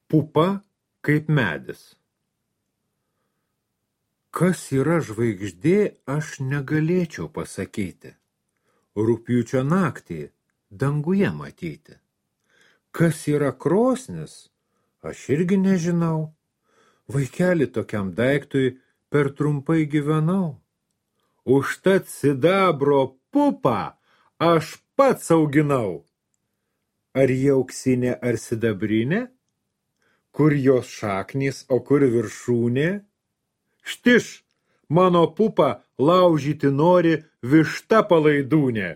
Pupa kaip medis. Kas yra žvaigždė, aš negalėčiau pasakyti. Rugpjūčio naktį danguje matyti. Kas yra krosnis, aš irgi nežinau. Vaikeli tokiam daiktui per trumpai gyvenau. Užtat sidabro pupą aš pats auginau. Ar jie auksinė ar sidabrinė? Kur jos šaknys, o kur viršūnė? Štiš, mano pupą laužyti nori višta palaidūnė.